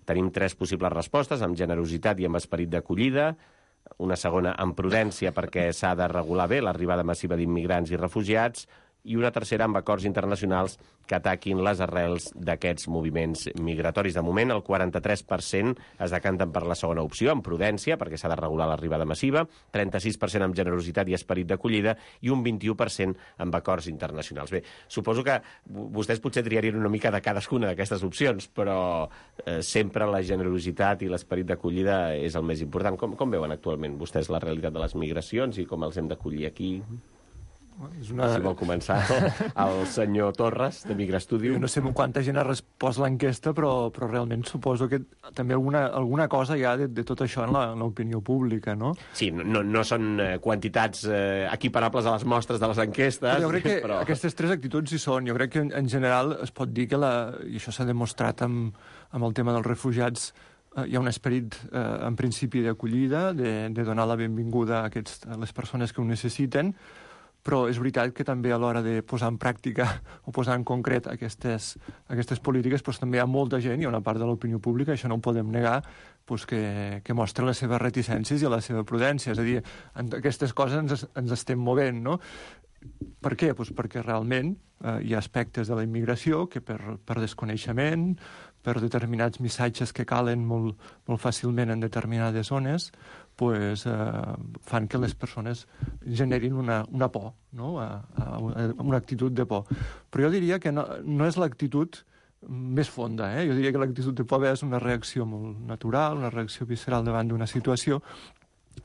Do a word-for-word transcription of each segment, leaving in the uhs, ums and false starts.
Tenim tres possibles respostes, amb generositat i amb esperit d'acollida, una segona amb prudència perquè s'ha de regular bé l'arribada massiva d'immigrants i refugiats, i una tercera amb acords internacionals que ataquin les arrels d'aquests moviments migratoris. De moment, el quaranta-tres per cent es decanten per la segona opció, amb prudència, perquè s'ha de regular l'arribada massiva, trenta-sis per cent amb generositat i esperit d'acollida i un vint-i-u per cent amb acords internacionals. Bé, suposo que vostès potser triarien una mica de cadascuna d'aquestes opcions, però eh, sempre la generositat i l'esperit d'acollida és el més important. Com, com veuen actualment vostès la realitat de les migracions i com els hem d'acollir aquí? És una... Si vol començar el senyor Torres, de Migrastudio. Jo no sé quanta gent ha respost l'enquesta, però, però realment suposo que també alguna, alguna cosa hi ha de, de tot això en l'opinió pública, no? Sí, no, no són quantitats eh, equiparables a les mostres de les enquestes. Però jo crec que però... aquestes tres actituds hi són. Jo crec que en, en general es pot dir que, la, i això s'ha demostrat amb, amb el tema dels refugiats, eh, hi ha un esperit, eh, en principi, d'acollida, de, de donar la benvinguda a, aquests, a les persones que ho necessiten, però és veritat que també a l'hora de posar en pràctica o posar en concret aquestes, aquestes polítiques doncs també hi ha molta gent, hi ha una part de l'opinió pública, això no ho podem negar, doncs que, que mostra les seves reticències i la seva prudència. És a dir, en aquestes coses ens, ens estem movent, no? Per què? Doncs perquè realment eh, hi ha aspectes de la immigració que per, per desconeixement, per determinats missatges que calen molt, molt fàcilment en determinades zones, pues, eh, fan que les persones generin una, una por, no? a, a una actitud de por. Però jo diria que no, no és l'actitud més fonda, eh? Jo diria que l'actitud de por és una reacció molt natural, una reacció visceral davant d'una situació,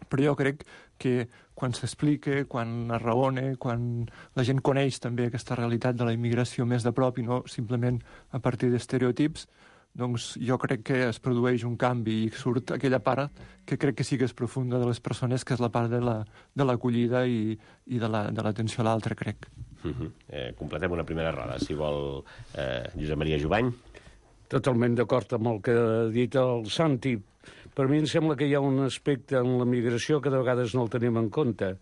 però jo crec que quan s'explica, quan es raona, quan la gent coneix també aquesta realitat de la immigració més de prop i no simplement a partir d'estereotips, doncs jo crec que es produeix un canvi i surt aquella part que crec que sí que és profunda de les persones, que és la part de la, de l'acollida i, i de l'atenció la, a l'altre, crec. Uh-huh. eh, completem una primera roda, si vol, eh, Josep Maria Jovany. Totalment d'acord amb el que ha dit el Santi. Per mi em sembla que hi ha un aspecte en la migració que de vegades no el tenim en compte.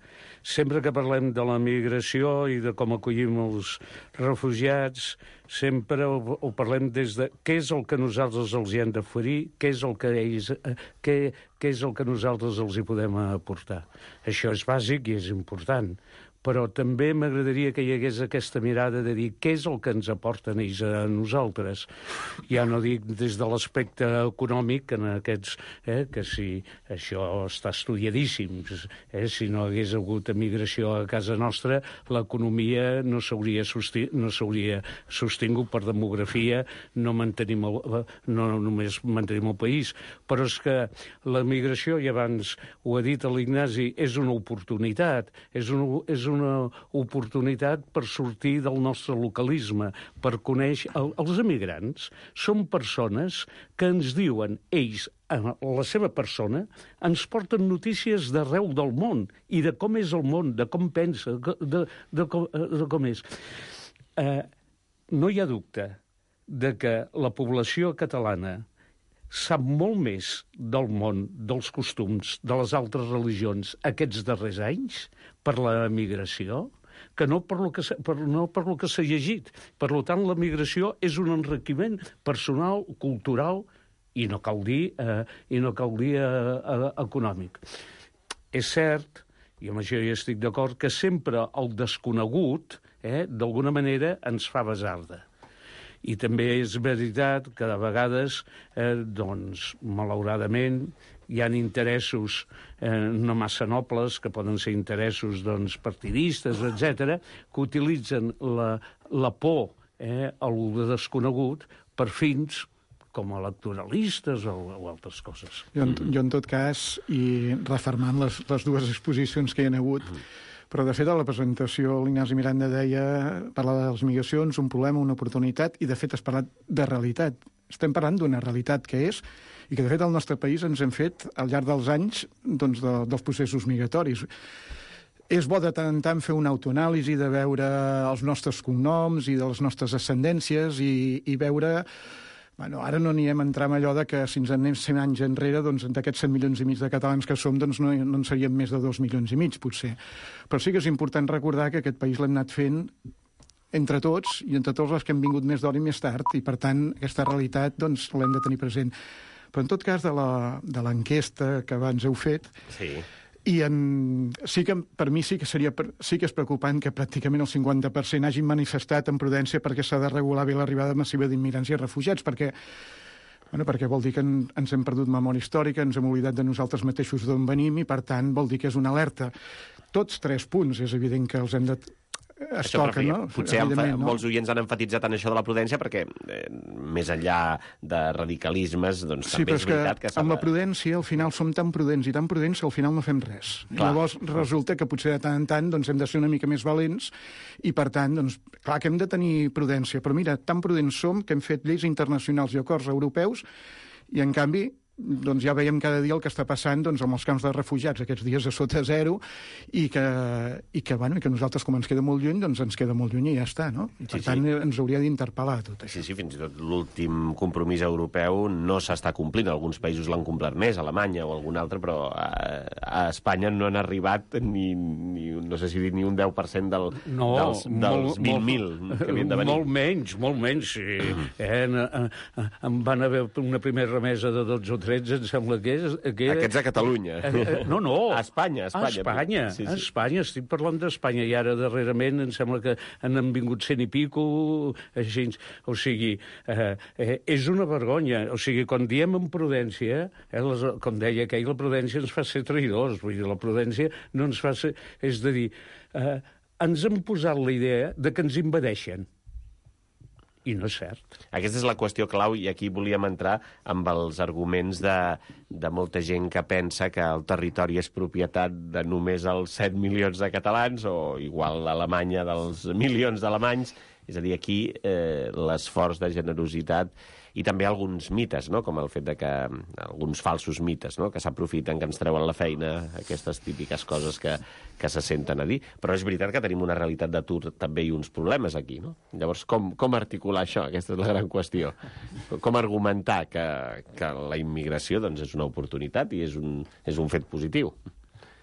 Sempre que parlem de la migració i de com acollim els refugiats, sempre ho, ho parlem des de què és el que nosaltres els hi hem d'oferir, què és el que ells, eh, què, què és el que nosaltres els hi podem aportar. Això és bàsic i és important. Però també m'agradaria que hi hagués aquesta mirada de dir què és el que ens aporten ells a nosaltres. Ja no dic des de l'aspecte econòmic, en aquests, eh, que si això està estudiadíssim, eh, si no hagués hagut emigració a casa nostra, l'economia no s'hauria sosti- no s'hauria sostingut per demografia, no, mantenim el, no només mantenim el país, però és que l'emigració, i abans ho ha dit l'Ignasi, és una oportunitat, és una, és una oportunitat per sortir del nostre localisme, per conèixer... El, els emigrants són persones que ens diuen, ells, la seva persona, ens porten notícies d'arreu del món i de com és el món, de com pensa, de, de, de, com, de com és. Eh, no hi ha dubte de que la població catalana sap molt més del món, dels costums, de les altres religions aquests darrers anys per la migració, que no per lo que, per, no per lo que s'ha llegit. Per tant, la migració és un enriquiment personal, cultural i no cal dir, eh, i no cal dir eh, eh, econòmic. És cert, i amb això hi estic d'acord, que sempre el desconegut, eh, d'alguna manera, ens fa basarda. I també és veritat que de vegades, eh, doncs, malauradament, hi ha interessos eh, no massa nobles, que poden ser interessos doncs, partidistes, etcètera, que utilitzen la, la por eh, a lo desconegut per fins com electoralistes o, o altres coses. Jo, jo, en tot cas, i refermant les, les dues exposicions que hi ha hagut, però, de fet, a la presentació l'Ignasi Miranda deia, parlava de les migracions, un problema, una oportunitat, i, de fet, has parlat de realitat. Estem parlant d'una realitat que és, i que, de fet, al nostre país ens hem fet, al llarg dels anys, doncs, de, dels processos migratoris. És bo de tant en tant fer una autoanàlisi, de veure els nostres cognoms i de les nostres ascendències i, i veure... Bueno, ara no anirem a entrar en allò de que si ens anem cent anys enrere, doncs d'aquests set milions i mig de catalans que som, doncs no, no en seríem més de dos milions i mig, potser. Però sí que és important recordar que aquest país l'hem anat fent entre tots i entre tots els que hem vingut més d'hora i més tard, i per tant aquesta realitat doncs l'hem de tenir present. Però en tot cas, de l'enquesta que abans heu fet, sí. I en, sí que, per mi sí que seria sí que és preocupant que pràcticament el cinquanta per cent hagin manifestat en prudència perquè s'ha de regular bé l'arribada massiva d'immigrants i refugiats, perquè, bueno, perquè vol dir que en, ens hem perdut memòria històrica, ens hem oblidat de nosaltres mateixos d'on venim i, per tant, vol dir que és una alerta. Tots tres punts, és evident que els hem de... Es això, toca, no? Potser no? molts oients han enfatitzat en això de la prudència perquè, eh, més enllà de radicalismes, doncs sí, també és veritat que... Sí, però amb la prudència, al final, som tan prudents i tan prudents que al final no fem res. Clar. Llavors, resulta que potser de tant en tant doncs, hem de ser una mica més valents i, per tant, doncs, clar que hem de tenir prudència. Però mira, tan prudents som que hem fet lleis internacionals i acords europeus i, en canvi, doncs ja veiem cada dia el que està passant doncs, amb els camps de refugiats, aquests dies a sota zero, i que, i que, bueno, i que nosaltres, com ens queda molt lluny, doncs ens queda molt lluny i ja està, no? I, per sí, tant, sí. ens hauria d'interpel·lar tot això. Sí, sí, fins i tot l'últim compromís europeu no s'està complint. Alguns països l'han complert més, Alemanya o algun altre, però a, a Espanya no han arribat ni, ni, no sé si dir, ni un deu per cent del, no, dels, dels vint mil que havien de venir. Molt menys, molt menys, sí. eh, en, en, en van haver una primera remesa de dotze o tretze, em sembla que és... Que... Aquests a Catalunya. No, no. A Espanya, a Espanya. A Espanya, sí, sí. a Espanya, estic parlant d'Espanya, i ara darrerament em sembla que han vingut cent i pico, així, o sigui, eh, eh, és una vergonya, o sigui, quan diem amb prudència, eh, les, com deia aquell, la prudència ens fa ser traïdors, vull dir, la prudència no ens fa ser... És a dir, eh, ens han posat la idea de que ens invadeixen. I no és cert. Aquesta és la qüestió clau, i aquí volíem entrar amb els arguments de, de molta gent que pensa que el territori és propietat de només els set milions de catalans, o igual l'Alemanya dels milions d'alemanys. És a dir, aquí eh, l'esforç de generositat i també alguns mites, no? Com el fet de que alguns falsos mites, no? Que s'aprofiten, que ens treuen la feina, aquestes típiques coses que, que se senten a dir. Però és veritat que tenim una realitat d'atur també i uns problemes aquí, no? Llavors, com, com articular això? Aquesta és la gran qüestió. Com argumentar que, que la immigració doncs, és una oportunitat i és un, és un fet positiu?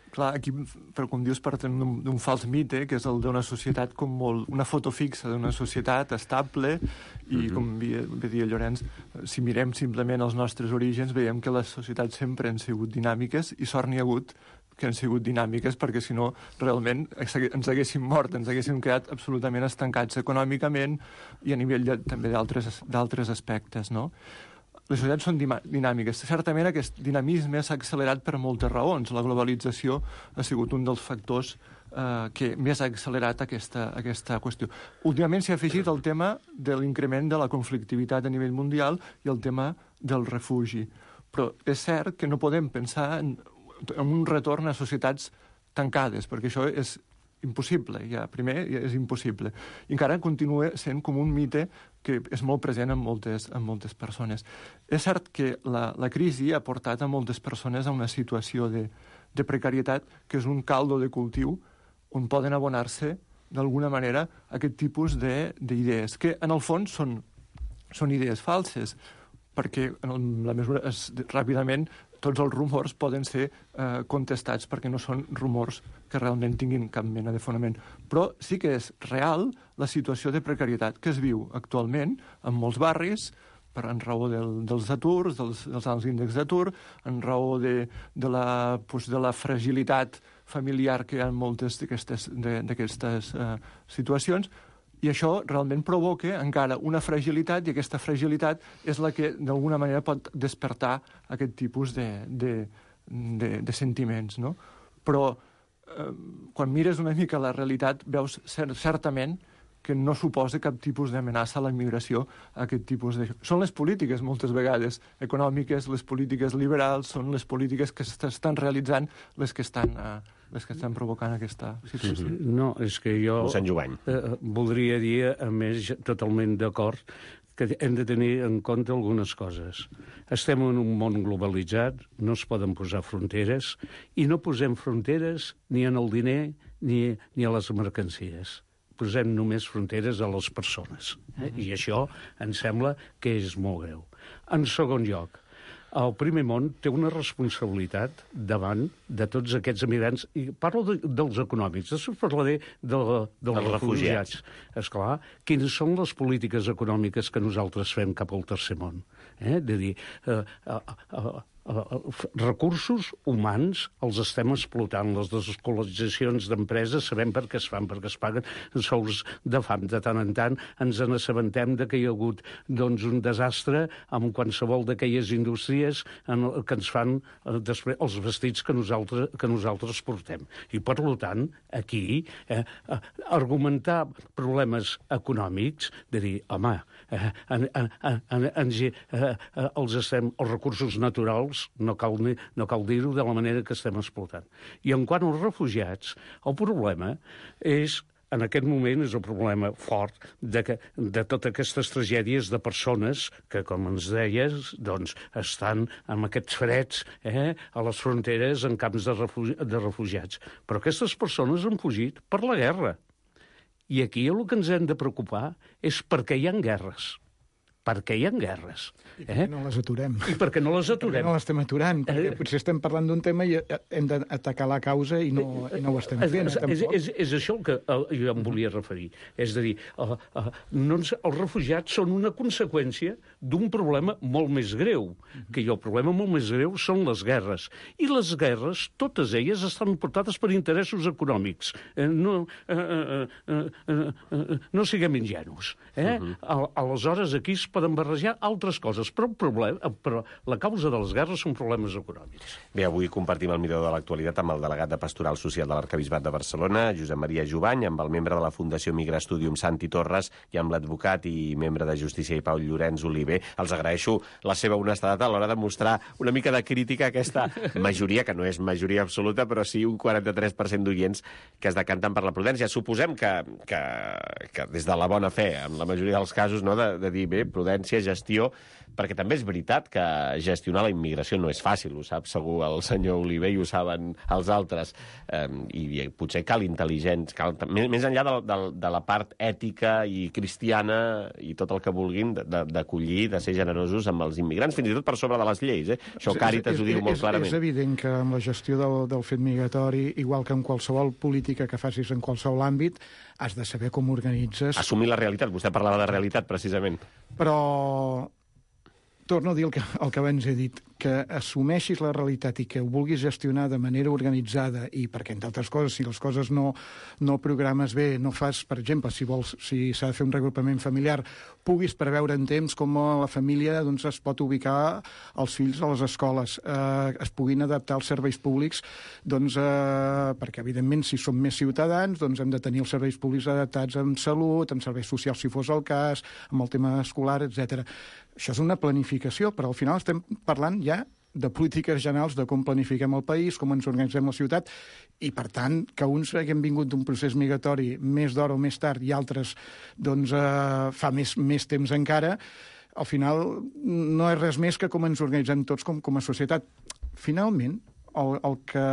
Clar, aquí, per com dius, partem d'un fals mite, que és el d'una societat com molt... una foto fixa d'una societat estable, i, mm-hmm. com bé dia Llorenç, si mirem simplement els nostres orígens, veiem que les societats sempre han sigut dinàmiques, i sort n'hi ha hagut que han sigut dinàmiques, perquè si no, realment ens haguéssim mort, ens haguéssim quedat absolutament estancats econòmicament i a nivell de, també d'altres aspectes, no? Les societats són dinàmiques. Certament aquest dinamisme s'ha accelerat per moltes raons. La globalització ha sigut un dels factors eh, que més ha accelerat aquesta, aquesta qüestió. Últimament s'ha afegit el tema de l'increment de la conflictivitat a nivell mundial i el tema del refugi. Però és cert que no podem pensar en, en un retorn a societats tancades, perquè això és impossible, ja, primer és impossible. I encara continua sent com un mite que és molt present en moltes, en moltes persones. És cert que la, la crisi ha portat a moltes persones a una situació de, de precarietat que és un caldo de cultiu on poden abonar-se d'alguna manera aquest tipus d'idees, que en el fons són, són idees falses, perquè en la mesura es, ràpidament tots els rumors poden ser eh, contestats perquè no són rumors que realment tinguin cap mena de fonament. Però sí que és real la situació de precarietat que es viu actualment en molts barris per en raó del, dels aturs, dels, dels alts índexs d'atur, en raó de, de, la, pues, de la fragilitat familiar que hi ha en moltes d'aquestes eh, situacions, i això realment provoca encara una fragilitat, i aquesta fragilitat és la que d'alguna manera pot despertar aquest tipus de, de, de, de sentiments, no? Però eh, quan mires una mica la realitat veus cert, certament que no suposa cap tipus d'amenaça a la immigració, a aquest tipus de... Són les polítiques, moltes vegades, econòmiques, les polítiques liberals, són les polítiques que s'estan realitzant les que estan... Eh, les que estan provocant aquesta situació. No, és que jo eh, voldria dir, a més, totalment d'acord, que hem de tenir en compte algunes coses. Estem en un món globalitzat, no es poden posar fronteres, i no posem fronteres ni en el diner ni, ni a les mercancies. Posem només fronteres a les persones. Eh? I això em sembla que és molt greu. En segon lloc, el primer món té una responsabilitat davant de tots aquests emigrants, i parlo de, dels econòmics, després parlaré de, de, dels refugiats. Esclar, quines són les polítiques econòmiques que nosaltres fem cap al tercer món? Eh? De dir, eh, eh, eh, recursos humans els estem explotant. Les desescolaritzacions d'empreses sabem per què es fan, perquè es paguen sous de fam. De tant en tant ens n'assabentem de que hi ha hagut doncs, un desastre amb qualsevol d'aquelles indústries en el, que ens fan eh, després els vestits que nosaltres, que nosaltres portem. I, per tant, aquí eh, eh, argumentar problemes econòmics, de dir, home, eh, en, en, en, en, eh, eh, els, estem, els recursos naturals no cal, no cal dir-ho de la manera que estem explotant. I en quant als refugiats, el problema és, en aquest moment, és el problema fort de, que, de totes aquestes tragèdies de persones que, com ens deies, doncs, estan amb aquests freds eh, a les fronteres en camps de, refugi de refugiats. Però aquestes persones han fugit per la guerra. I aquí el que ens hem de preocupar és per què hi ha guerres. Perquè hi ha guerres. I perquè eh? no les aturem. I perquè no les aturem. Perquè no les estem aturant, perquè eh? potser estem parlant d'un tema i hem d'atacar la causa i no, i no ho estem fent. És, és, és, és això el que uh, jo em volia referir. És a dir, uh, uh, no ens, els refugiats són una conseqüència d'un problema molt més greu, que el problema molt més greu són les guerres. I les guerres, totes elles, estan portades per interessos econòmics. Eh, no, uh, uh, uh, uh, uh, no siguem ingenus. Eh? Uh -huh. Aleshores, aquí es poden barrejar altres coses, però, el problema, però la causa de les guerres són problemes econòmics. Bé, avui compartim el millor de l'actualitat amb el delegat de Pastoral Social de l'Arquebisbat de Barcelona, Josep Maria Jubany, amb el membre de la Fundació Migra Studium Santi Torres i amb l'advocat i membre de Justícia i Pau Llorenç Oliver. Els agraeixo la seva honestedat a l'hora de mostrar una mica de crítica a aquesta majoria, que no és majoria absoluta, però sí un quaranta-tres per cent d'oients que es decanten per la prudència. Suposem que, que, que des de la bona fe, en la majoria dels casos, no, de, de dir, bé, prudència, gestió, perquè també és veritat que gestionar la immigració no és fàcil, ho sap segur el senyor Oliver i ho saben els altres, eh, i potser cal intel·ligents, cal, més enllà de, de, de la part ètica i cristiana i tot el que vulguin d'acollir, de ser generosos amb els immigrants, fins i tot per sobre de les lleis. Eh? Això Càritas és, és, ho diu molt és, clarament. És evident que amb la gestió del, del fet migratori, igual que en qualsevol política que facis en qualsevol àmbit, has de saber com organitzes. Assumir la realitat. Vostè parlava de realitat, precisament. Però torno a dir el que, el que abans he dit, que assumeixis la realitat i que ho vulguis gestionar de manera organitzada i perquè, entre altres coses, si les coses no, no programes bé, no fas, per exemple, si vols, si s'ha de fer un regrupament familiar, puguis preveure en temps com la família doncs, es pot ubicar els fills a les escoles, eh, es puguin adaptar als serveis públics, doncs, eh, perquè, evidentment, si som més ciutadans, doncs hem de tenir els serveis públics adaptats en salut, en serveis socials, si fos el cas, amb el tema escolar, etcètera. Això és una planificació, però al final estem parlant ja de polítiques generals, de com planifiquem el país, com ens organitzem la ciutat, i, per tant, que uns haguem vingut d'un procés migratori més d'hora o més tard i altres doncs, eh, fa més, més temps encara, al final no és res més que com ens organitzem tots com, com a societat. Finalment, el, el que,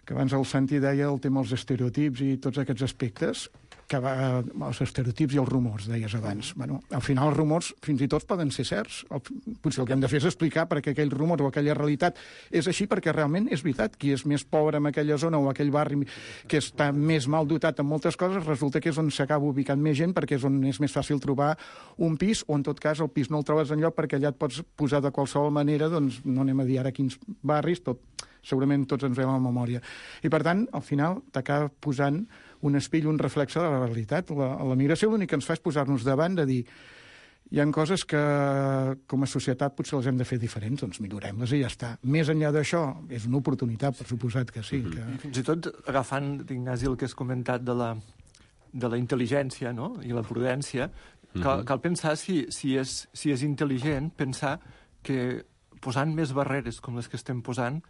que abans el Santi deia, el tema dels estereotips i tots aquests aspectes, que va, els estereotips i els rumors, deies abans. Bueno, al final els rumors fins i tot poden ser certs. El, potser el que hem de fer és explicar perquè aquell rumor o aquella realitat és així, perquè realment és veritat. Qui és més pobre en aquella zona o aquell barri que està més mal dotat en moltes coses, resulta que és on s'acaba ubicant més gent, perquè és on és més fàcil trobar un pis, o en tot cas el pis no el trobes enlloc perquè allà et pots posar de qualsevol manera, doncs no anem a dir ara quins barris, tot, segurament tots ens veiem a la memòria. I per tant, al final t'acaba posant un espill, un reflexe de la realitat. La, la migració l'únic que ens fa és posar-nos davant de dir hi ha coses que com a societat potser les hem de fer diferents, doncs millorem-les i ja està. Més enllà d'això, és una oportunitat, per suposat que sí. Que... I fins i tot agafant, Ignasi, el que has comentat de la, de la intel·ligència, no?, i la prudència, cal, cal pensar si, si, és, si és intel·ligent, pensar que posant més barreres com les que estem posant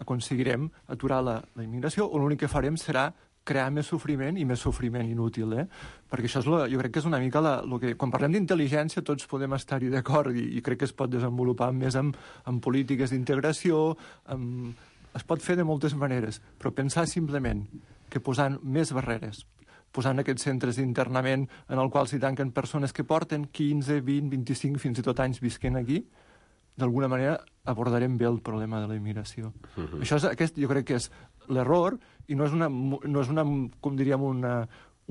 aconseguirem aturar la, la immigració, o l'únic que farem serà crear més sofriment i més sofriment inútil, eh? Perquè això és la, jo crec que és una mica la, lo que... Quan parlem d'intel·ligència tots podem estar-hi d'acord i, i crec que es pot desenvolupar més amb, amb polítiques d'integració, amb... es pot fer de moltes maneres, però pensar simplement que posant més barreres, posant aquests centres d'internament en els quals s'hi tanquen persones que porten quinze, vint, vint-i-cinc, fins i tot anys visquent aquí, d'alguna manera abordarem bé el problema de la immigració. Uh-huh. Això és, aquest, jo crec que és l'error, i no és una, no és una com diríem, una,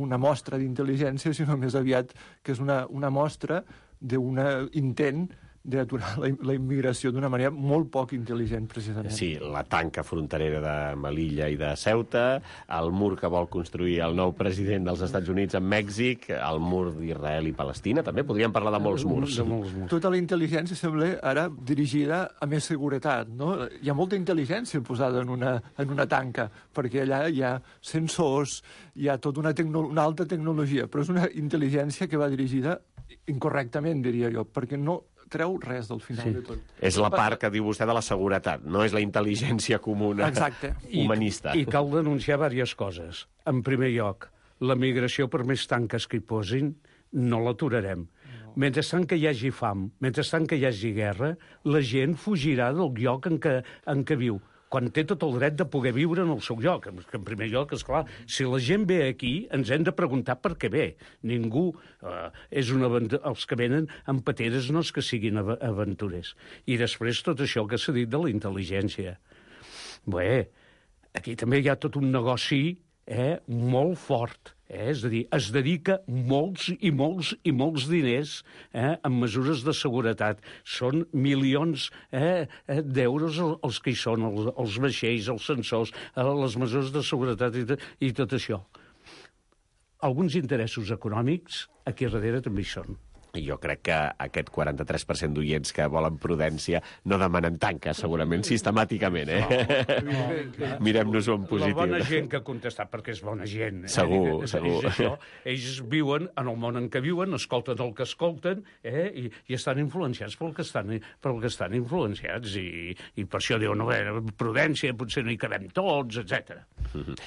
una mostra d'intel·ligència, sinó més aviat que és una, una mostra d'un intent d'aturar la, la immigració d'una manera molt poc intel·ligent, precisament. Sí, la tanca fronterera de Melilla i de Ceuta, el mur que vol construir el nou president dels Estats Units amb Mèxic, el mur d'Israel i Palestina, també podríem parlar de molts murs. De molts murs. Tota la intel·ligència sembla ara dirigida a més seguretat, no? Hi ha molta intel·ligència posada en una, en una tanca, perquè allà hi ha sensors, hi ha tota una, tecno, una alta tecnologia, però és una intel·ligència que va dirigida incorrectament, diria jo, perquè no treu res del final sí. de tot. És la part que diu vostè de la seguretat, no és la intel·ligència comuna. Exacte. Humanista. I, I cal denunciar diverses coses. En primer lloc, la migració, per més tanques que hi posin, no l'aturarem. No. Mentrestant que hi hagi fam, mentrestant que hi hagi guerra, la gent fugirà del lloc en què, en què viu, quan té tot el dret de poder viure en el seu lloc. En primer lloc, esclar, si la gent ve aquí, ens hem de preguntar per què ve. Ningú eh, és una aventura... Els que venen amb pateres no és que siguin av aventurers. I després tot això que s'ha dit de la intel·ligència. Bé, aquí també hi ha tot un negoci eh, molt fort. Eh? És a dir, es dedica molts i molts i molts diners eh, en mesures de seguretat. Són milions eh, d'euros els que hi són, els, els vaixells, els sensors, eh, les mesures de seguretat i, i tot això. Alguns interessos econòmics aquí darrere també hi són. Jo crec que aquest quaranta-tres per cent d'oients que volen prudència no demanen tanques, segurament, sistemàticament, eh? No, no, mirem-nos-ho en positiu. La bona gent que ha contestat, perquè és bona gent. Eh? Segur, és, segur. És això. Ells viuen en el món en què viuen, escolten el que escolten, eh? I, i estan influenciats pel que estan, pel que estan influenciats. I, I per això diuen, no, bé, prudència, potser no hi cabem tots, etcètera.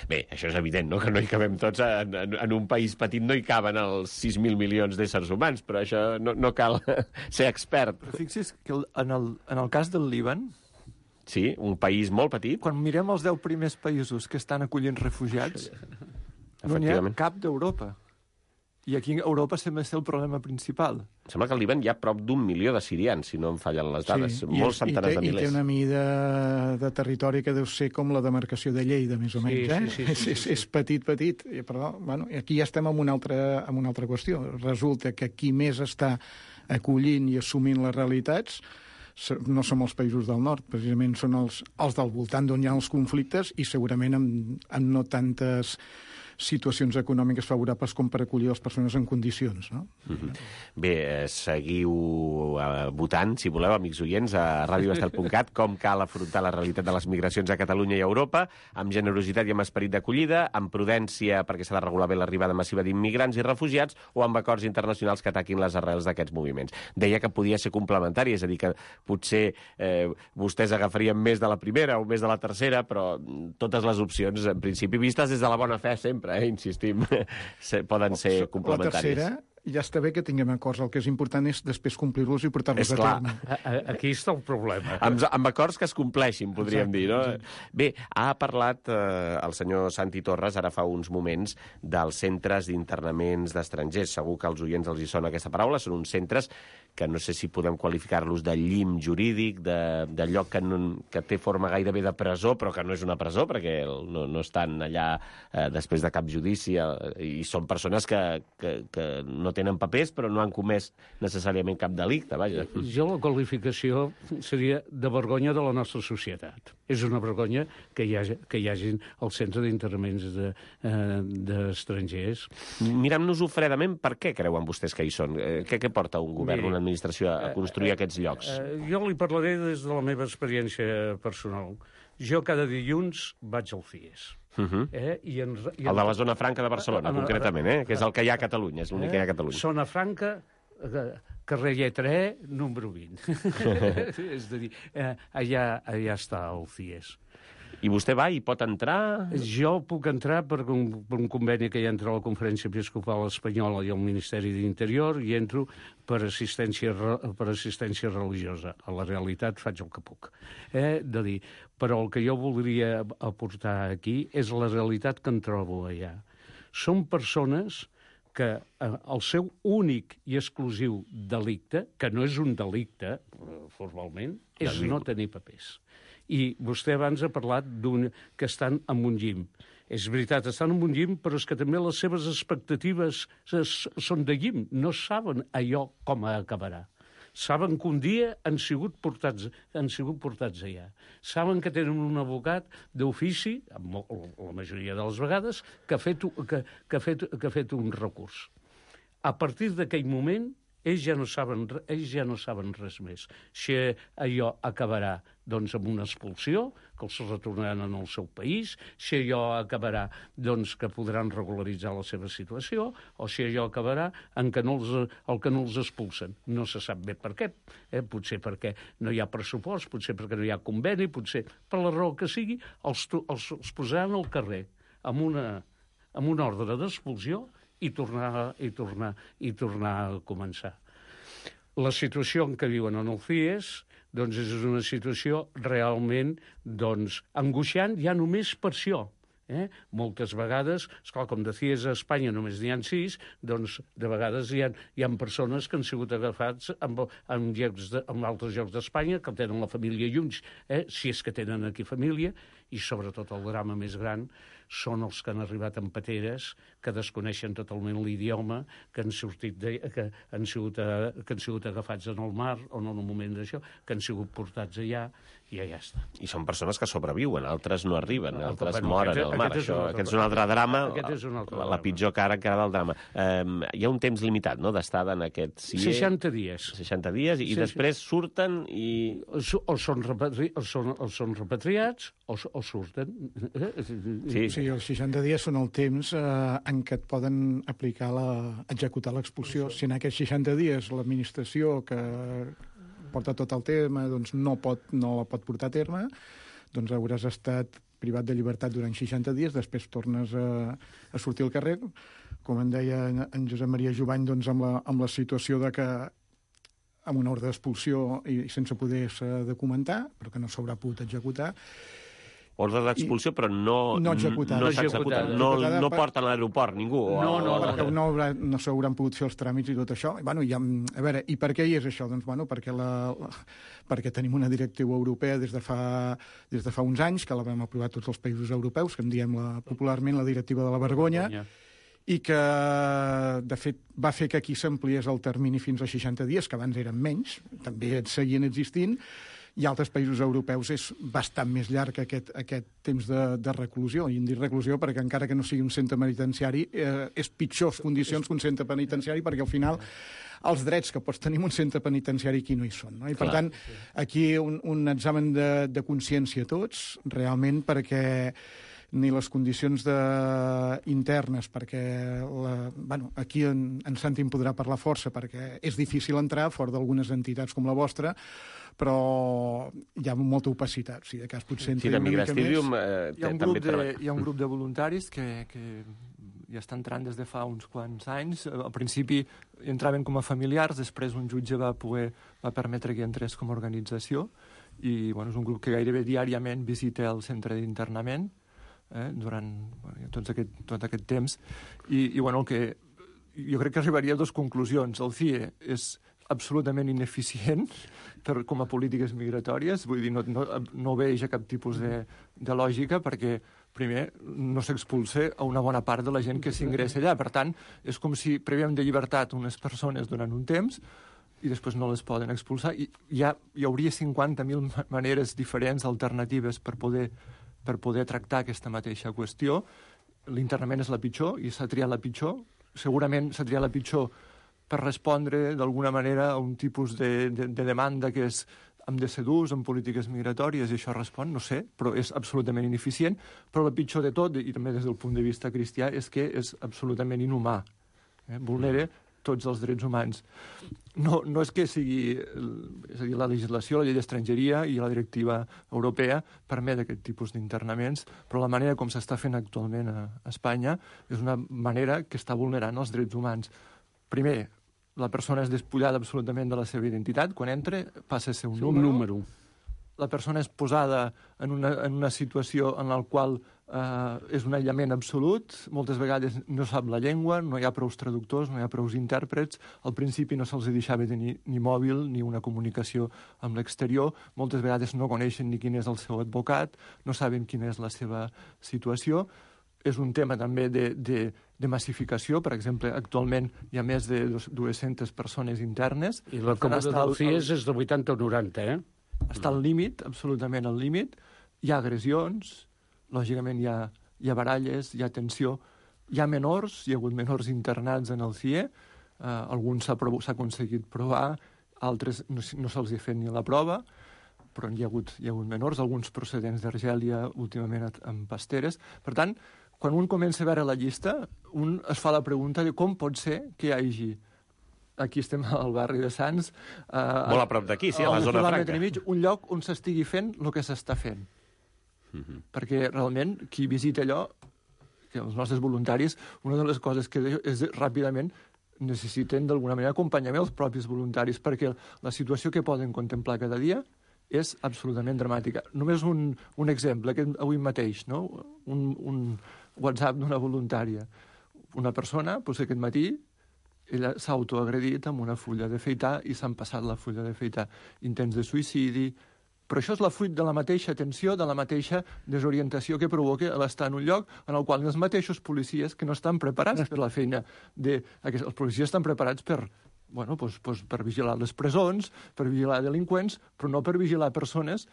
Bé, això és evident, no?, que no hi cabem tots. En, en, en un país petit no hi caben els sis mil milions d'éssers humans, però això No, no cal ser expert. Però fixi's que en el, en el cas del Líban... Sí, un país molt petit. Quan mirem els deu primers països que estan acollint refugiats, no n'hi ha cap d'Europa. I aquí a Europa sembla ser el problema principal. Sembla que al Líban hi ha prop d'un milió de sirians, si no em fallen les dades. Sí, molts centenars té, de milers. I té una mida de territori que deu ser com la demarcació de Lleida, més o menys. Sí, eh? sí, sí, sí, sí, és, és petit, petit. Però bueno, aquí ja estem en una, altra, en una altra qüestió. Resulta que qui més està acollint i assumint les realitats no som els països del nord, precisament són els, els del voltant d'on hi ha els conflictes i segurament amb, amb no tantes situacions econòmiques favorables com per acollir les persones en condicions, no? Mm-hmm. Bé, eh, seguiu eh, votant, si voleu, amics oients, a ràdio estel punt cat, com cal afrontar la realitat de les migracions a Catalunya i a Europa, amb generositat i amb esperit d'acollida, amb prudència perquè s'ha de regular bé l'arribada massiva d'immigrants i refugiats, o amb acords internacionals que ataquin les arrels d'aquests moviments. Deia que podia ser complementari, és a dir, que potser eh, vostès agafarien més de la primera o més de la tercera, però totes les opcions, en principi, vistes des de la bona fe sempre, Eh, insistim, poden ser complementàries. La tercera, ja està bé que tinguem acords. El que és important és després complir-los i portar-los a terme. Aquí està el problema. Amb, amb acords que es compleixin, podríem exacte, dir, no? Exacte. Bé, ha parlat eh, el senyor Santi Torres, ara fa uns moments, dels centres d'internaments d'estrangers. Segur que als oients els hi sona aquesta paraula. Són uns centres que no sé si podem qualificar-los de llim jurídic, de, de lloc que, no, que té forma gairebé de presó, però que no és una presó, perquè no, no estan allà eh, després de cap judici, eh, i són persones que, que, que no tenen papers, però no han comès necessàriament cap delicte, vaja. Jo la qualificació seria de vergonya de la nostra societat. És una vergonya que hi hagi, que hi hagin el centre d'internaments d'estrangers. De, eh, Mirem-nos-ho fredament, per què creuen vostès que hi són? Eh, què, què porta un govern, Miri, una administració a construir eh, aquests llocs? Eh, jo li parlaré des de la meva experiència personal. Jo cada dilluns vaig al C I E S. Uh-huh. eh, i en, i en... El de la zona franca de Barcelona, uh, concretament, eh? Que és el que hi ha a Catalunya, és l'únic eh? que hi ha a Catalunya. Zona franca, carrer Lletra E, número vint. És a dir, eh, allà, allà està el C I E S. I vostè va i pot entrar? Jo puc entrar per un, per un conveni que hi ha entre la Conferència Episcopal Espanyola i el Ministeri d'Interior i entro per assistència, per assistència religiosa. A la realitat faig el que puc. Eh? De dir, però el que jo voldria aportar aquí és la realitat que en trobo allà. Són persones que eh, el seu únic i exclusiu delicte, que no és un delicte eh, formalment, és no tenir papers. I vostè abans ha parlat d'un que estan en un llim. És veritat, estan en un llim, però és que també les seves expectatives són de llim. No saben allò com acabarà. saben que un dia han sigut portats, han sigut portats allà. Saben que tenen un advocat d'ofici, la majoria de les vegades, que ha fet, que, que ha fet, que ha fet un recurs. A partir d'aquell moment, ells ja no saben, ells ja no saben res més. Si allò acabarà doncs, amb una expulsió, que els retornaran al seu país, si allò acabarà doncs, que podran regularitzar la seva situació, o si allò acabarà en que no els, el que no els expulsen. No se sap bé per què. Eh? Potser perquè no hi ha pressupost, potser perquè no hi ha conveni, potser per la raó que sigui, els, els, els posaran al carrer amb una, amb una ordre d'expulsió i tornar, i, tornar, i tornar a començar. La situació en què viuen en el C I E S doncs, és una situació realment doncs, angoixant ja només per això. Eh? Moltes vegades, esclar, com de C I E S a Espanya només n'hi ha sis, doncs de vegades hi ha, hi ha persones que han sigut agafats en, en, llocs de, en altres llocs d'Espanya, que tenen la família junts, eh? Si és que tenen aquí família, i sobretot el drama més gran són els que han arribat en pateres, que desconeixen totalment l'idioma, que han sortit de, que han sigut, que han sigut agafats en el mar o en el moment d'això, que han sigut portats allà, i ja està. I són persones que sobreviuen, altres no arriben, altres bueno, moren aquest, al mar. aquest, Això, és aquest és un altre drama, aquest és un altre la, drama. la pitjor cara encara del drama. Um, hi ha un temps limitat, no?, d'estada en aquest C I E. seixanta dies. seixanta dies, i sí, després sí. surten i... O són, repatri... o són, o són repatriats o, o surten. Sí. Sí, els seixanta dies són el temps eh, en què et poden aplicar la... executar l'expulsió. Si en aquests seixanta dies l'administració que porta tot el tema doncs no, pot, no la pot portar a terme, doncs hauràs estat privat de llibertat durant seixanta dies, després tornes a, a sortir al carrer. Com en deia en Josep Maria Jovany, doncs amb la, amb la situació de que amb una ordre d'expulsió i sense poder-se documentar, però que no s'haurà pogut executar. Ordre d'expulsió, però no, no executada. no s'ha executat. No, no porten a l'aeroport ningú. No, no, no. Perquè no, haurà, no s'hauran pogut fer els tràmits i tot això. I, bueno, ja, a veure, i per què hi és això? Doncs, bueno, perquè, la, la, perquè tenim una directiva europea des de, fa, des de fa uns anys, que la vam aprovar tots els països europeus, que en diem la, popularment la directiva de la vergonya, vergonya. I que, de fet, va fer que aquí s'ampliés el termini fins a seixanta dies, que abans eren menys, també seguien existint, i altres països europeus és bastant més llarg aquest, aquest temps de, de reclusió. I en dic reclusió perquè encara que no sigui un centre penitenciari, eh, és pitjors condicions que un centre penitenciari, perquè al final els drets que pots tenir en un centre penitenciari aquí no hi són. No? I per Clar. tant, aquí un, un examen de, de consciència tots, realment, perquè ni les condicions de... internes, perquè la... bueno, aquí en, en Santi em podrà parlar força, perquè és difícil entrar fora d'algunes entitats com la vostra, però hi ha molta opacitat. Si de cas potser sí, de Migrastidium, eh, hi, ha un grup de, hi ha un grup de voluntaris que, que ja està entrant des de fa uns quants anys. Al principi entraven com a familiars, després un jutge va poder va permetre que entrés com a organització, i bueno, és un grup que gairebé diàriament visita el centre d'internament eh, durant bueno, tot, aquest, tot aquest temps. I, i bueno, el que jo crec que arribaria a dues conclusions. El C I E és absolutament ineficient per, com a polítiques migratòries, vull dir, no, no, no veig cap tipus de, de lògica, perquè primer no s'expulsa a una bona part de la gent que s'ingressa allà. Per tant, és com si previem de llibertat unes persones durant un temps i després no les poden expulsar. I ja hi hauria cinquanta mil maneres diferents, alternatives, per poder, per poder tractar aquesta mateixa qüestió. L'internament és la pitjor i s'ha triat la pitjor. Segurament s'ha triat la pitjor per respondre d'alguna manera a un tipus de, de, de demanda que és hem de ser durs en polítiques migratòries, i això respon, no sé, però és absolutament ineficient. Però el pitjor de tot, i també des del punt de vista cristià, és que és absolutament inhumà. Eh? Vulnera tots els drets humans. No, no és que sigui... És a dir, la legislació, la llei d'estrangeria i la directiva europea permet aquest tipus d'internaments, però la manera com s'està fent actualment a Espanya és una manera que està vulnerant els drets humans. Primer, la persona és despullada absolutament de la seva identitat. Quan entra, passa a ser un sí, número. Un número. La persona és posada en una, en una situació en la qual eh, és un aïllament absolut. Moltes vegades no sap la llengua, no hi ha prous traductors, no hi ha prous intèrprets. Al principi no se'ls deixava tenir ni mòbil ni una comunicació amb l'exterior. Moltes vegades no coneixen ni quin és el seu advocat, no saben quina és la seva situació. és un tema també de, de, de massificació. Per exemple, actualment hi ha més de dues-centes persones internes. I la comanda del C I E S és de vuitanta o noranta, eh? Està al límit, absolutament al límit. Hi ha agressions, lògicament hi ha, hi ha baralles, hi ha tensió, hi ha menors, hi ha hagut menors internats en el C I E, uh, alguns s'ha aconseguit provar, altres no, no se'ls ha fet ni la prova, però hi ha hagut, hi ha hagut menors, alguns procedents d'Argèlia, últimament amb pasteres. Per tant, quan un comença a veure la llista, un es fa la pregunta de com pot ser que hi hagi, aquí estem al barri de Sants, eh, molt a prop d'aquí, sí, a la zona franca, i mig, un lloc on s'estigui fent el que s'està fent. Mm-hmm. Perquè realment qui visita allò, que els nostres voluntaris, una de les coses que és ràpidament necessiten d'alguna manera acompanyament els propis voluntaris, perquè la situació que poden contemplar cada dia és absolutament dramàtica. Només un, un exemple, aquest avui mateix, no? un, un WhatsApp d'una voluntària. Una persona, doncs aquest matí, ella s'ha autoagredit amb una fulla d'afeitar i s'han passat la fulla d'afeitar. Intents de suïcidi. Però això és la fruit de la mateixa tensió, de la mateixa desorientació que provoca l'estar en un lloc en el qual els mateixos policies que no estan preparats per la feina. De, els policies estan preparats per, bueno, doncs, doncs per vigilar les presons, per vigilar delinqüents, però no per vigilar persones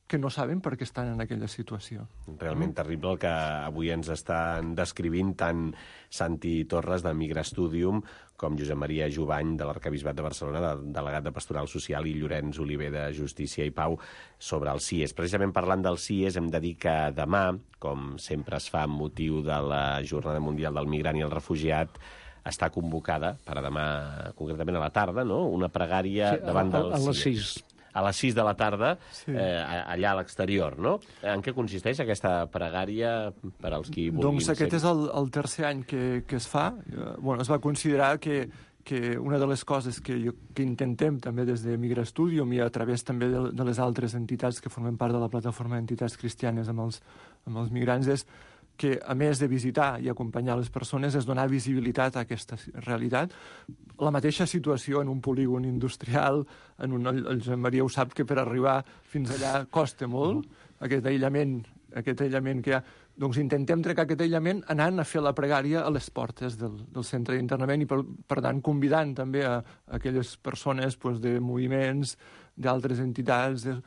que no saben per què estan en aquella situació. Realment terrible el que avui ens estan descrivint tant Santi Torres, de Migra Studium, com Josep Maria Jubany, de l'Arquebisbat de Barcelona, de, delegat de Pastoral Social, i Llorenç Oliver, de Justícia i Pau, sobre el C I E S. Precisament parlant del C I E S, hem de dir que demà, com sempre es fa amb motiu de la Jornada Mundial del Migrant i el Refugiat, està convocada per a demà, concretament a la tarda, no? Una pregària sí, davant del a, a les C I E S. sis. A les sis de la tarda, sí. eh, allà a l'exterior, no? En què consisteix aquesta pregària per als qui vulguin... Doncs aquest és el, el tercer any que, que es fa. Eh, bueno, es va considerar que, que una de les coses que, jo, que intentem també des de Migra Studium i a través també de, de les altres entitats que formen part de la plataforma d'entitats cristianes amb els, amb els migrants és que, a més de visitar i acompanyar les persones, és donar visibilitat a aquesta realitat. La mateixa situació en un polígon industrial, en un, el Josep Maria ho sap, que per arribar fins allà costa molt, aquest aïllament, aquest aïllament que hi ha. Doncs intentem trencar aquest aïllament anant a fer la pregària a les portes del, del centre d'internament i, per, per tant, convidant també a, a aquelles persones doncs, de moviments, d'altres entitats, de,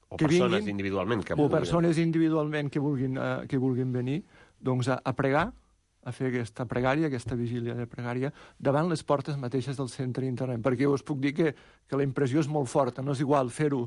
o que persones vinguin, individualment que o vulguin. persones individualment que vulguin, uh, que vulguin venir, doncs a, a pregar, a fer aquesta pregària, aquesta vigília de pregària, davant les portes mateixes del centre d'internament. Perquè us puc dir que, que la impressió és molt forta. No és igual fer-ho,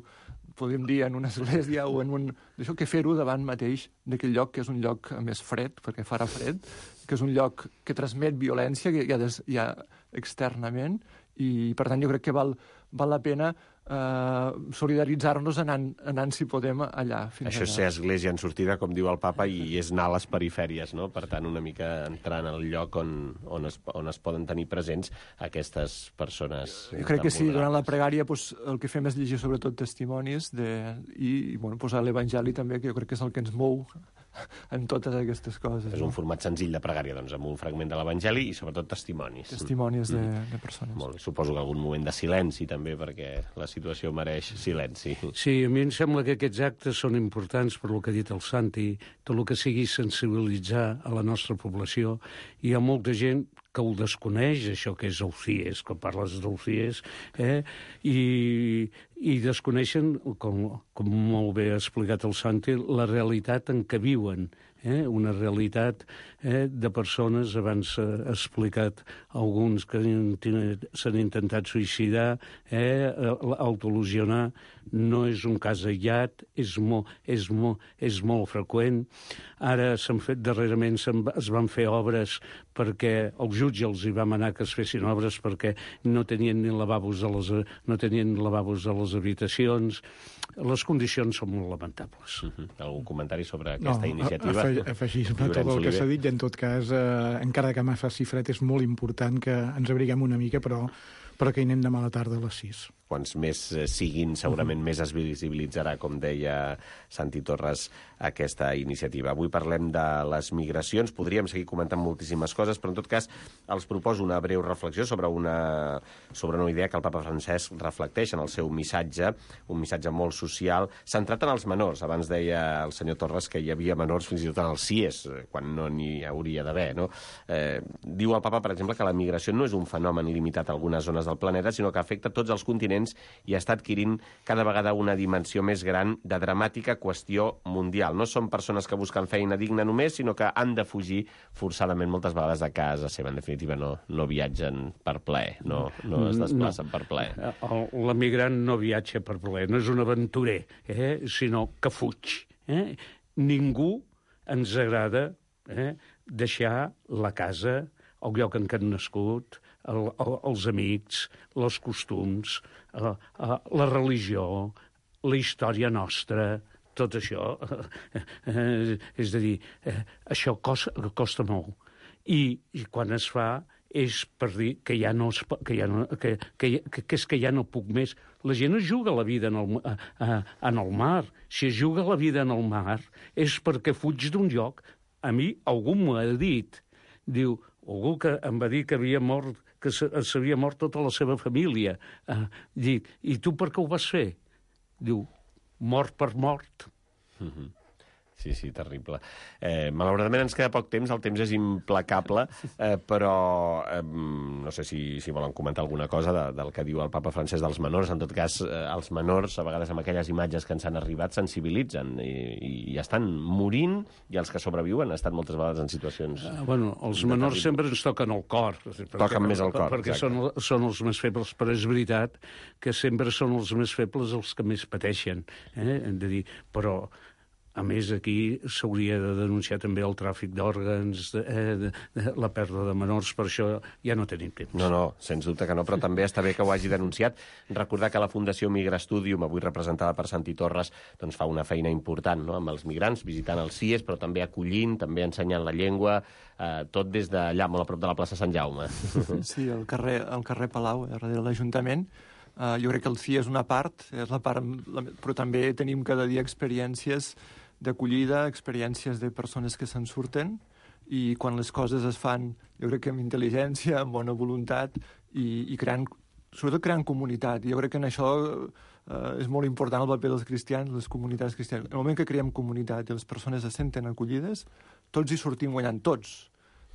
podem dir, en una església o en un... D'això que fer-ho davant mateix d'aquell lloc, que és un lloc més fred, perquè farà fred, que és un lloc que transmet violència, que hi ha, des, hi ha externament, i per tant jo crec que val, val la pena eh, solidaritzar-nos anant, anant, si podem, allà. Fins Això és allà. ser església en sortida, com diu el papa, i és anar a les perifèries, no? Per tant, una mica entrant al lloc on, on, es, on es poden tenir presents aquestes persones. Jo crec que sí, durant la pregària pues, el que fem és llegir sobretot testimonis de, i, i bueno, pues, l'Evangeli també, que jo crec que és el que ens mou en totes aquestes coses. És no? un format senzill de pregària, doncs, amb un fragment de l'Evangeli i sobretot testimonis. Testimonis de, mm. de persones. Molt bé. Suposo que algun moment de silenci també, perquè la situació mereix silenci. Sí, a mi em sembla que aquests actes són importants per lo que ha dit el Santi, tot el que sigui sensibilitzar a la nostra població. Hi ha molta gent que ho desconeix, això que és el C I E S, quan parles del C I E S, eh? I, i desconeixen, com, com molt bé ha explicat el Santi, la realitat en què viuen, eh? Una realitat eh, de persones, abans ha explicat alguns que s'han intentat suïcidar, eh? autolesionar, no és un cas aïllat, és molt, és molt, és molt freqüent. Ara s'han fet, darrerament es van fer obres perquè el jutge els hi va manar que es fessin obres perquè no tenien ni lavabos a les, no tenien lavabos a les habitacions. Les condicions són molt lamentables. Uh-huh. Algun comentari sobre aquesta no, iniciativa? Afeg afegir-me tot el que s'ha dit, i en tot cas, eh, encara que m'ha faci fred, és molt important que ens abriguem una mica, però, però que hi anem demà a la tarda a les sis. quants més siguin, segurament més es visibilitzarà, com deia Santi Torres, aquesta iniciativa. Avui parlem de les migracions, podríem seguir comentant moltíssimes coses, però en tot cas els proposo una breu reflexió sobre una, sobre una idea que el papa Francesc reflecteix en el seu missatge, un missatge molt social, centrat en els menors. Abans deia el senyor Torres que hi havia menors fins i tot en els C I E S, quan no n'hi hauria d'haver, no? Eh, diu el papa, per exemple, que la migració no és un fenomen limitat a algunes zones del planeta, sinó que afecta tots els continents i està adquirint cada vegada una dimensió més gran de dramàtica qüestió mundial. No són persones que busquen feina digna només, sinó que han de fugir forçadament moltes vegades de casa seva. En definitiva, no, no viatgen per plaer, no, no es desplacen no. per plaer. L'emigrant no viatja per plaer, no és un aventurer, eh? sinó que fuig. Eh? Ningú ens agrada eh? deixar la casa, el lloc en què han nascut, el, el, els amics, els costums, eh, eh, la religió, la història nostra, tot això. Eh, és a dir, eh, això costa, costa molt. I, I quan es fa és per dir que ja no, es, que, ja no que, que, que, que és que ja no puc més. La gent es juga la vida en el, eh, en el mar. Si es juga la vida en el mar és perquè fuig d'un lloc. A mi algú m'ho ha dit. Diu, algú que em va dir que havia mort, que s'havia mort tota la seva família. Eh, dic, i tu per què ho vas fer? Diu, mort per mort. Mm-hmm. Sí, sí, terrible. Eh, malauradament ens queda poc temps, el temps és implacable, eh, però eh, no sé si, si volen comentar alguna cosa de, del que diu el papa Francesc dels menors. En tot cas, eh, els menors, a vegades amb aquelles imatges que ens han arribat, sensibilitzen i, i, i estan morint, i els que sobreviuen estan moltes vegades en situacions... Uh, bueno, els menors sempre ens toquen el cor. Perquè, toquen més el cor, perquè són, són els més febles, però és veritat que sempre són els més febles els que més pateixen. Eh? Hem de dir, però... A més, aquí s'hauria de denunciar també el tràfic d'òrgans, eh, de, de, la pèrdua de menors, per això ja no tenim temps. No, no, sens dubte que no, però també està bé que ho hagi denunciat. Recordar que la Fundació Migrastudium, avui representada per Santi Torres, doncs fa una feina important, no?, amb els migrants, visitant els C I E S, però també acollint, també ensenyant la llengua, eh, tot des d'allà, molt a prop de la plaça Sant Jaume. Sí, al carrer, al carrer Palau, darrere de l'Ajuntament. Uh, jo crec que el C I E és una part, és la part, però també tenim cada dia experiències d'acollida, experiències de persones que se'n surten, i quan les coses es fan, jo crec que amb intel·ligència, amb bona voluntat, i, i creant, sobretot creant comunitat. Jo crec que en això eh, és molt important el paper dels cristians, les comunitats cristianes. En el moment que creem comunitat i les persones se senten acollides, tots hi sortim guanyant, tots.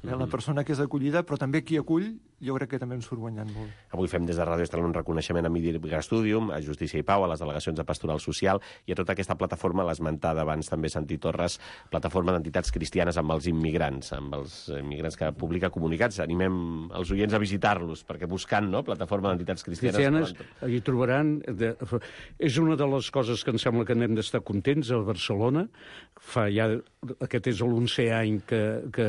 Eh, la persona que és acollida, però també qui acull, jo crec que també en surt guanyant molt. Avui fem des de Ràdio Estel un reconeixement a Migrastudium, a Justícia i Pau, a les delegacions de Pastoral Social i a tota aquesta plataforma, l'esmentada abans també Santi Torres, plataforma d'entitats cristianes amb els immigrants, amb els immigrants que publica comunicats. Animem els oients a visitar-los, perquè buscant, no?, plataforma d'entitats cristianes... Cristianes, quan... hi trobaran... De... És una de les coses que em sembla que n'hem d'estar contents a Barcelona. Fa ja... Aquest és l'onzè any que, que,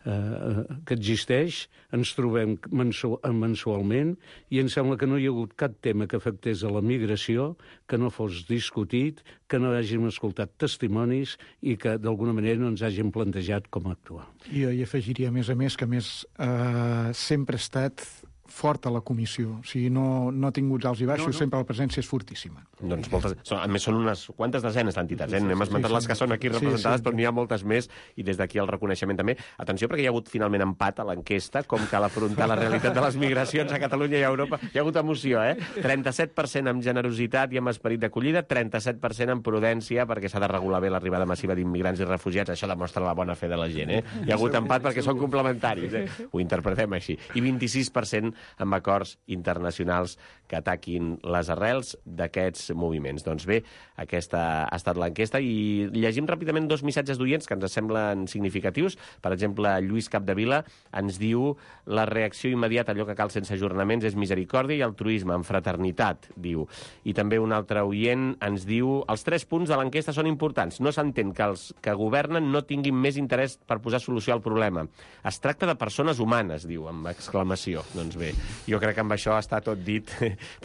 eh, que existeix. Ens trobem mensualment i em sembla que no hi ha hagut cap tema que afectés a la migració que no fos discutit, que no hàgim escoltat testimonis i que d'alguna manera no ens hàgim plantejat com actuar. Jo hi afegiria, a més a més, que més eh, sempre ha estat fort a la comissió. O sigui, no, no ha tingut alts i baixos, no, no. Sempre la presència és fortíssima. Doncs moltes... Són, a més, són unes quantes desenes d'entitats, eh? Hem esmentat sí, sí, les que són aquí representades, sí, sí. Però n'hi ha moltes més, i des d'aquí el reconeixement també. Atenció, perquè hi ha hagut finalment empat a l'enquesta, com cal afrontar la realitat de les migracions a Catalunya i a Europa. Hi ha hagut emoció, eh? trenta-set per cent amb generositat i amb esperit d'acollida, trenta-set per cent amb prudència, perquè s'ha de regular bé l'arribada massiva d'immigrants i refugiats. Això demostra la bona fe de la gent, eh? Hi ha hagut empat perquè són complementaris, eh? Ho interpretem així. I vint-i-sis per cent amb acords internacionals que ataquin les arrels d'aquests moviments. Doncs bé, aquesta ha estat l'enquesta i llegim ràpidament dos missatges d'oients que ens semblen significatius. Per exemple, Lluís Capdevila ens diu: la reacció immediata a allò que cal sense ajornaments és misericòrdia i altruisme, en fraternitat, diu. I també un altre oient ens diu: els tres punts de l'enquesta són importants. No s'entén que els que governen no tinguin més interès per posar solució al problema. Es tracta de persones humanes, diu, amb exclamació. Doncs bé, bé. Jo crec que amb això està tot dit.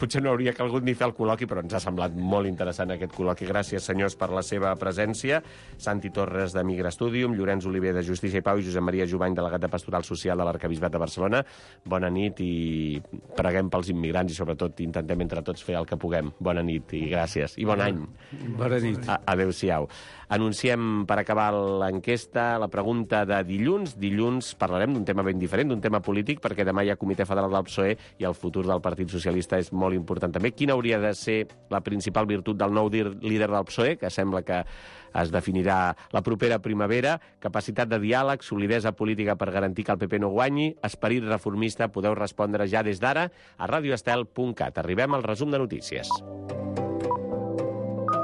Potser no hauria calgut ni fer el col·loqui, però ens ha semblat molt interessant aquest col·loqui. Gràcies, senyors, per la seva presència. Santi Torres, de Migra Studium, Llorenç Oliver, de Justícia i Pau, i Josep Maria Jovany, delegat de Pastoral Social de l'Arquebisbat de Barcelona. Bona nit i preguem pels immigrants i, sobretot, intentem entre tots fer el que puguem. Bona nit i gràcies. I bon any. Bona nit. Adéu-siau. Anunciem, per acabar l'enquesta, la pregunta de dilluns. Dilluns parlarem d'un tema ben diferent, d'un tema polític, perquè demà hi ha Comitè Federal del P S O E i el futur del Partit Socialista és molt important també. Quina hauria de ser la principal virtut del nou líder del P S O E, que sembla que es definirà la propera primavera? Capacitat de diàleg, solidesa política per garantir que el P P no guanyi, esperit reformista. Podeu respondre ja des d'ara a radioestel punt cat. Arribem al resum de notícies.